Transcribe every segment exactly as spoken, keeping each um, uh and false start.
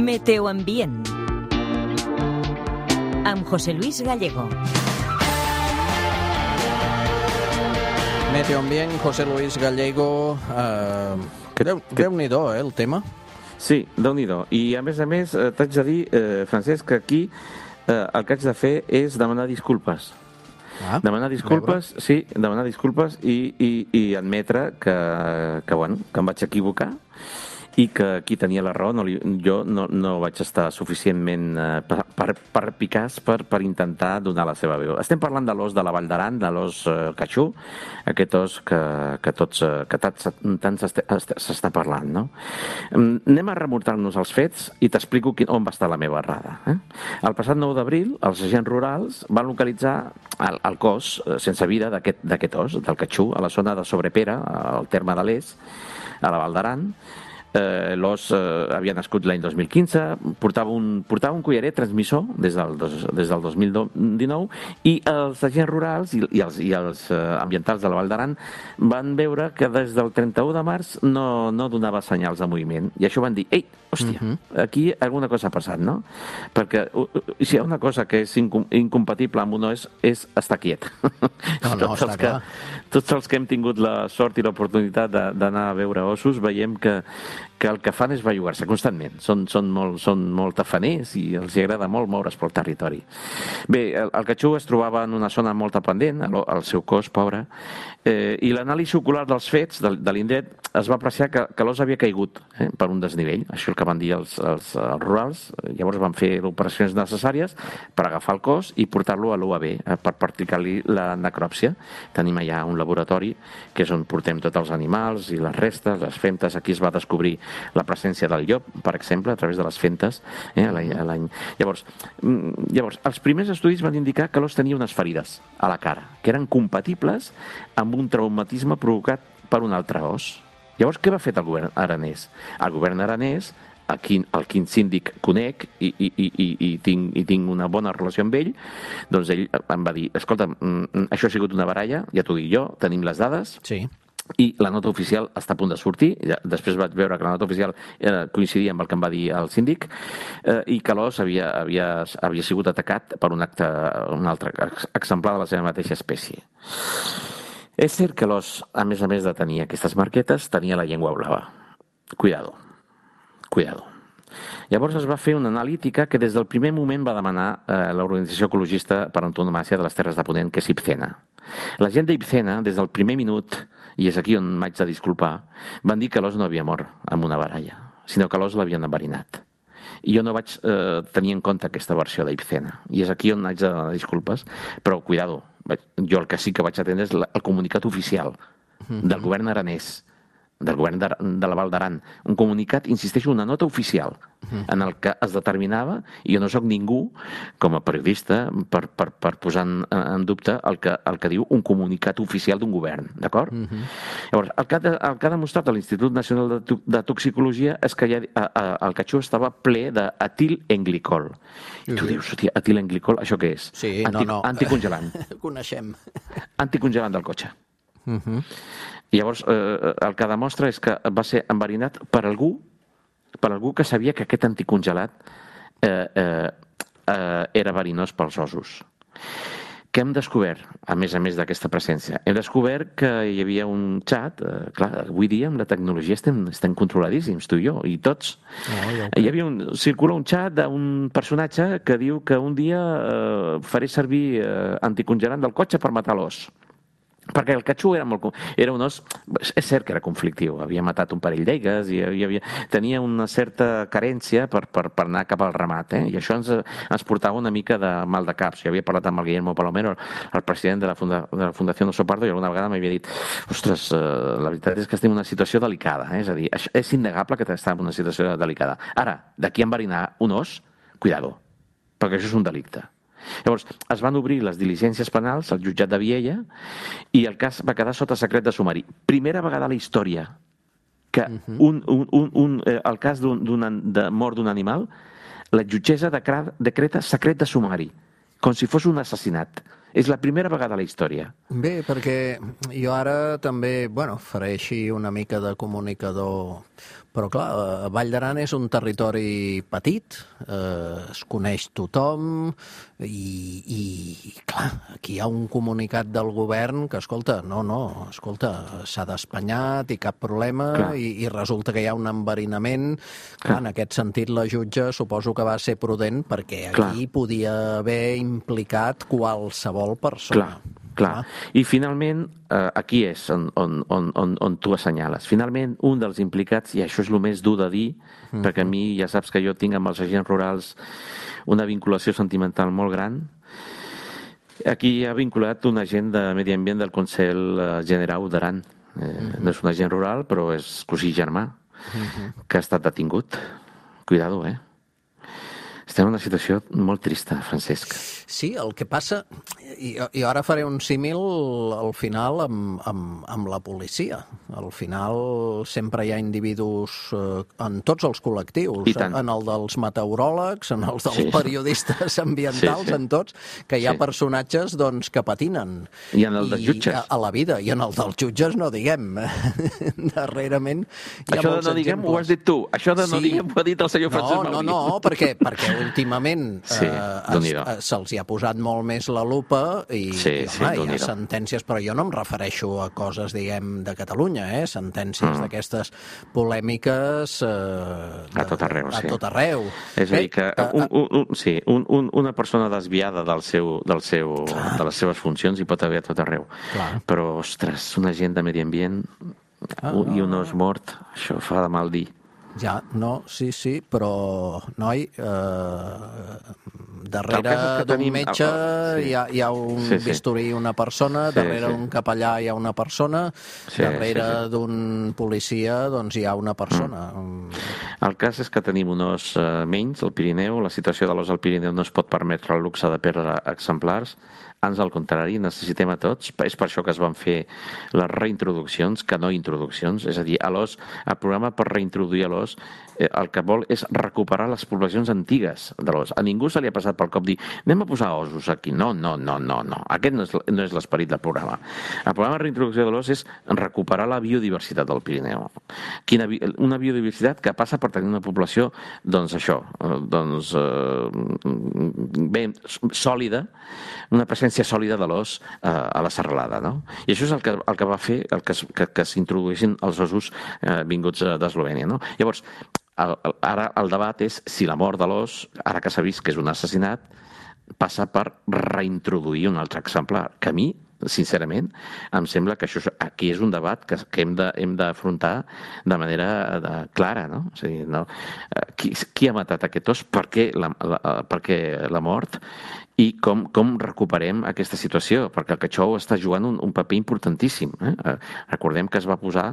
Meteoambient amb José Luis Gallego. Meteoambient, José Luis Gallego. Uh, Déu, Déu-n'hi-do, eh, el tema. Sí, Déu-n'hi-do. I a més a més, eh, t'haig de dir, eh, Francesc, que aquí eh, el que haig de fer és demanar disculpes. Ah, demanar disculpes, sí, demanar disculpes i, i, i admetre que, que, bueno, que em vaig equivocar i que qui tenia la raó, no li, jo no, no vaig estar suficientment eh, per, per, per picaç per, per intentar donar la seva veu. Estem parlant de l'os de la Vall d'Aran, de l'os eh, catxú, aquest os que, que, tots, eh, que tant, tant s'està parlant, no? Anem a remuntar-nos als fets i t'explico quin, on va estar la meva errada. Eh? El passat nou d'abril, els agents rurals van localitzar el, el cos eh, sense vida d'aquest os, del catxú, a la zona de Sobrepera, al terme de l'Es, a la Vall d'Aran. Eh, l'os eh, havia nascut l'any dos mil quinze, portava un, portava un collaret transmissor des del, dos, des del dos mil dinou i els agents rurals i, i els, i els eh, ambientals de la Vall d'Aran van veure que des del trenta-u de març no, no donava senyals de moviment i això van dir, ei, hòstia, uh-huh. aquí alguna cosa ha passat, no? Perquè uh, si hi ha una cosa que és incom incompatible amb un os és estar quiet. No, no, tots, els que, tots els que hem tingut la sort i l'oportunitat d'anar a veure ossos veiem que que el que fan és bellugar-se constantment. Són, són, molt, són molt tafaners i els agrada molt moure's pel territori. Bé, el, el catxú es trobava en una zona molt pendent, el, el seu cos, pobre, eh, i l'anàlisi ocular dels fets de, de l'indret es va apreciar que, que l'os havia caigut eh, per un desnivell. Això és el que van dir els, els, els rurals. Llavors van fer operacions necessàries per agafar el cos i portar-lo a l'U A B eh, per practicar-li la necròpsia. Tenim allà un laboratori que és on portem tots els animals i les restes, les femtes. Aquí es va descobrir la presència del llop, per exemple, a través de les fentes. Eh, l'any. Llavors, llavors, els primers estudis van indicar que l'os tenia unes ferides a la cara, que eren compatibles amb un traumatisme provocat per un altre os. Llavors, què va fer el govern aranès? El govern aranès, el quin, el quin síndic conec i, i, i, i, i, tinc, i tinc una bona relació amb ell, doncs ell em va dir, escolta, això ha sigut una baralla, ja t'ho dic jo, tenim les dades, sí. I la nota oficial està a punt de sortir. Després vaig veure que la nota oficial eh, coincidia amb el que em va dir el síndic eh, i que l'os havia, havia, havia sigut atacat per un, acte, un altre exemplar de la seva mateixa espècie. És cert que l'os, a més a més de tenir aquestes marquetes, tenia la llengua blava. Cuidado. Cuidado. Llavors es va fer una analítica que des del primer moment va demanar eh, l'Organització Ecologista per Antonomàsia de les Terres de Ponent, que és IPCENA. La gent d'IPCENA, des del primer minut, i és aquí on m'haig de disculpar, van dir que l'os no havia mort amb una baralla, sinó que l'os l'havien enverinat. I jo no vaig eh, tenir en compte aquesta versió d'IPCENA. I és aquí on haig de demanar disculpes, però cuidado, jo el que sí que vaig atendre és el comunicat oficial del govern aranès, del govern de, de la Vall d'Aran. Un comunicat, insisteixo, una nota oficial en el que es determinava, i jo no sóc ningú, com a periodista, per, per, per posar en, en dubte el que, el que diu un comunicat oficial d'un govern, d'acord? Uh -huh. Llavors, el que, ha, el que ha demostrat l'Institut Nacional de, de Toxicologia és que ja, a, a, el catxú estava ple d'etilenglicol. I tu dius, hòstia, etilenglicol, això què és? Sí, Anti, no, no. Anticongelant. Coneixem. Anticongelant del cotxe. Uh -huh. I llavors eh, el que demostra és que va ser enverinat per algú per algú que sabia que aquest anticongelat eh, eh, eh, era verinós pels ossos. Què hem descobert, a més a més d'aquesta presència? Hem descobert que hi havia un xat, eh, clar, avui dia amb la tecnologia estem, estem controladíssims, tu i jo, i tots. Oh, ja hi havia un, circula un xat d'un personatge que diu que un dia eh, faré servir eh, anticongelant del cotxe per matar l'os. Perquè el catxú era, molt, era un os, és cert que era conflictiu, havia matat un parell d'eigues i hi havia, tenia una certa carència per, per, per anar cap al ramat, eh? I això ens, ens portava una mica de mal de caps. Jo havia parlat amb el Guillermo Palomero, el president de la, funda, de la Fundació Oso Pardo, i alguna vegada m'havia dit, ostres, eh, la veritat és que estem en una situació delicada, eh? És a dir, és innegable que estem en una situació delicada. Ara, d'aquí a enverinar un os, cuidado, perquè això és un delicte. Llavors, es van obrir les diligències penals al jutjat de Viella i el cas va quedar sota secret de sumari. Primera vegada a la història que un, un, un, un, eh, el cas d'un, de mort d'un animal, la jutgessa decreta secret de sumari, com si fos un assassinat. És la primera vegada a la història. Bé, perquè jo ara també, bueno, faré així una mica de comunicador, però clar, Vall d'Aran és un territori petit, eh, es coneix tothom i, i clar, aquí hi ha un comunicat del govern que, escolta, no, no, escolta, s'ha d'espanyat i cap problema i, i resulta que hi ha un enverinament. Clar, en aquest sentit la jutge suposo que va ser prudent perquè aquí clar. Podia haver implicat qualsevol persona. Clar. Clar. I finalment, eh, aquí és on, on, on, on, on tu assenyales. Finalment, un dels implicats, i això és el més dur de dir, mm-hmm. perquè a mi ja saps que jo tinc amb els agents rurals una vinculació sentimental molt gran, aquí ha vinculat un agent de Medi Ambient del Consell Generau d'Aran. Eh, mm-hmm. No és un agent rural, però és cosí germà, mm-hmm. que ha estat detingut. Cuidado, eh? Estem en una situació molt trista, Francesc. Sí, el que passa... I, i ara faré un símil al final amb, amb, amb la policia. Al final sempre hi ha individus eh, en tots els col·lectius, en el dels meteoròlegs, en els dels sí. periodistes ambientals, sí, sí. en tots, que hi ha sí. personatges doncs, que patinen. I en el dels jutges. A, a la vida. I en el dels jutges no diguem. Darrerament hi ha això molts de no diguem exemples. Ho has dit tu. Això de no sí. diguem ho ha dit el senyor Francesc Mauri. No, no, no, perquè, perquè últimament sí, eh, se'ls hi ha posat molt més la lupa i, sí, i sí, home, hi ha sentències, però jo no em refereixo a coses, diguem, de Catalunya, eh? Sentències mm. d'aquestes polèmiques eh, de, a tot arreu. A sí. tot arreu. És a dir, que un, un, un, sí, un, un, una persona desviada del seu, del seu, de les seves funcions hi pot haver a tot arreu. Clar. Però, ostres, un agent de medi ambient ah, i un os mort, això fa de mal dir. Ja, no, sí, sí, però, noi, eh, darrere d'un tenim... metge sí. hi, ha, hi ha un sí, sí. bisturí i una persona, sí, darrere d'un sí. capellà hi ha una persona, sí, darrere sí, sí. d'un policia doncs hi ha una persona. Mm. El cas és que tenim un os eh, menys al Pirineu, la situació de l'os al Pirineu no es pot permetre el luxe de perdre exemplars, ans al contrari, necessitem a tots. És per això que es van fer les reintroduccions, que no introduccions. És a dir, a l'os, el programa per reintroduir a l'os, eh, el que vol és recuperar les poblacions antigues de l'os. A ningú se li ha passat pel cop dir anem a posar ossos aquí. No, no, no, no, no. Aquest no és, no és l'esperit del programa. El programa de reintroducció de l'os és recuperar la biodiversitat del Pirineu. Quina, una biodiversitat que passa per tenir una població, doncs això, doncs eh, ben sòlida, una presència sòlida de l'os eh, a la serralada, no? I això és el que, el que va fer el que, que, que s'introduïssin els ossos eh, vinguts d'Eslovènia, no? Llavors, el, el, ara el debat és si la mort de l'os, ara que s'ha vist que és un assassinat, passa per reintroduir un altre exemplar, que a mi, sincerament, em sembla que això aquí és un debat que, que hem de, hem d'afrontar de manera de, clara, no? O sigui, no? Qui, qui ha matat aquest os? Per què la, la, per què la mort? I com, com recuperem aquesta situació, perquè el Cachou està jugant un, un paper importantíssim. Eh? Recordem que es va posar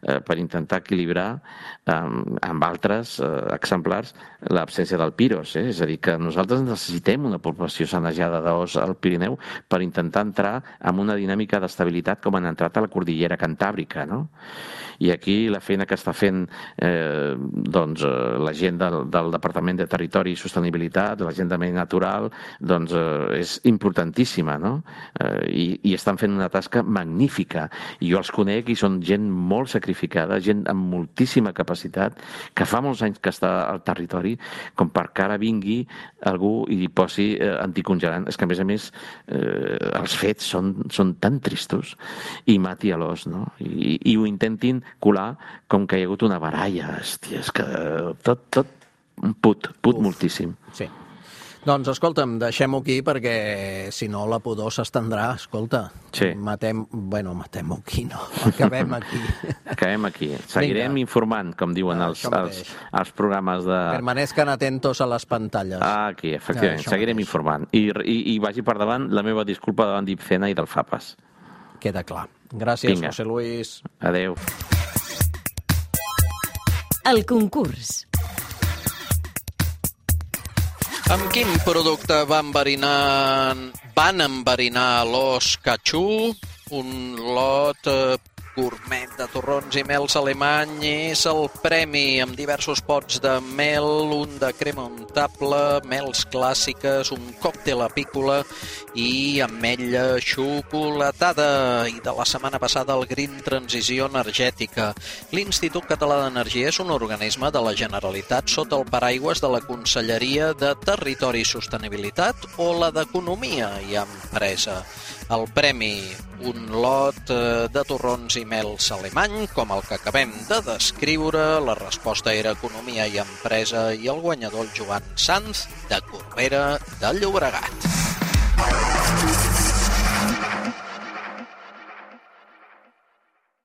eh, per intentar equilibrar eh, amb altres eh, exemplars l'absència del piros. Eh? És a dir, que nosaltres necessitem una població sanejada d'os al Pirineu per intentar entrar en una dinàmica d'estabilitat com han entrat a la cordillera cantàbrica, no? I aquí la feina que està fent eh, doncs, la gent del, del Departament de Territori i Sostenibilitat, la gent de Medi Natural, doncs eh, és importantíssima, no? Eh, i, i estan fent una tasca magnífica. I jo els conec i són gent molt sacrificada, gent amb moltíssima capacitat, que fa molts anys que està al territori, com per que ara vingui algú i li posi eh, anticongelant. És que, a més a més, eh, els fets són, són tan tristos i mati a l'os, no? I, i ho intentin colar com que hi ha hagut una baralla. Hòstia, és que tot, tot put, put Uf. moltíssim. Sí. Doncs, escolta'm, deixem-ho aquí perquè, si no, la pudor s'estendrà. Escolta, sí. matem... Bueno, matem-ho aquí, no? Acabem aquí. Acabem aquí. Seguirem Vinga. informant, com diuen ah, els, els, els programes de... Permanezcan atentos a les pantalles. Ah, aquí, efectivament. Ah, Seguirem mateix. informant. I, i, I vagi per davant la meva disculpa davant d'Ipcena i del FAPAS. Queda clar. Gràcies, Vinga. José Luis. Adéu. El concurs. Amb quin producte van enverinar, van enverinar l'os Cachou? Un lot eh, gourmet de torrons i mels alemany és el premi amb diversos pots de mel, un de crema untable, mels clàssiques, un còctel apícola i ametlla xocolatada. I de la setmana passada el Green Transició Energètica. L'Institut Català d'Energia és un organisme de la Generalitat sota el paraigües de la Conselleria de Territori i Sostenibilitat o la d'Economia i Empresa. El premi, un lot de torrons i mels alemany, com el que acabem de descriure. La resposta era Economia i Empresa i el guanyador el Joan Sanz, de Corbera de Llobregat.